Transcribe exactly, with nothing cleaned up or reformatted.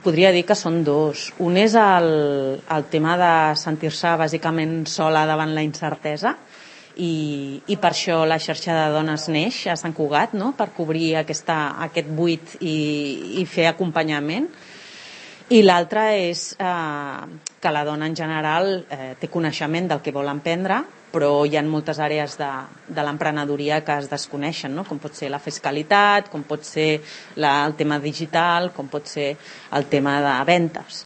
Podria dir que són dos. Un és el, el tema de sentir-se bàsicament sola davant la incertesa i, i per això la xarxa de dones neix a Sant Cugat, no? Per cobrir aquesta, aquest buit i, i fer acompanyament. I l'altre és eh, que la dona en general eh, té coneixement del que vol emprendre, però hi ha moltes àrees de, de l'emprenedoria que es desconeixen, no? Com pot ser la fiscalitat, com pot ser la, el tema digital, com pot ser el tema de ventes.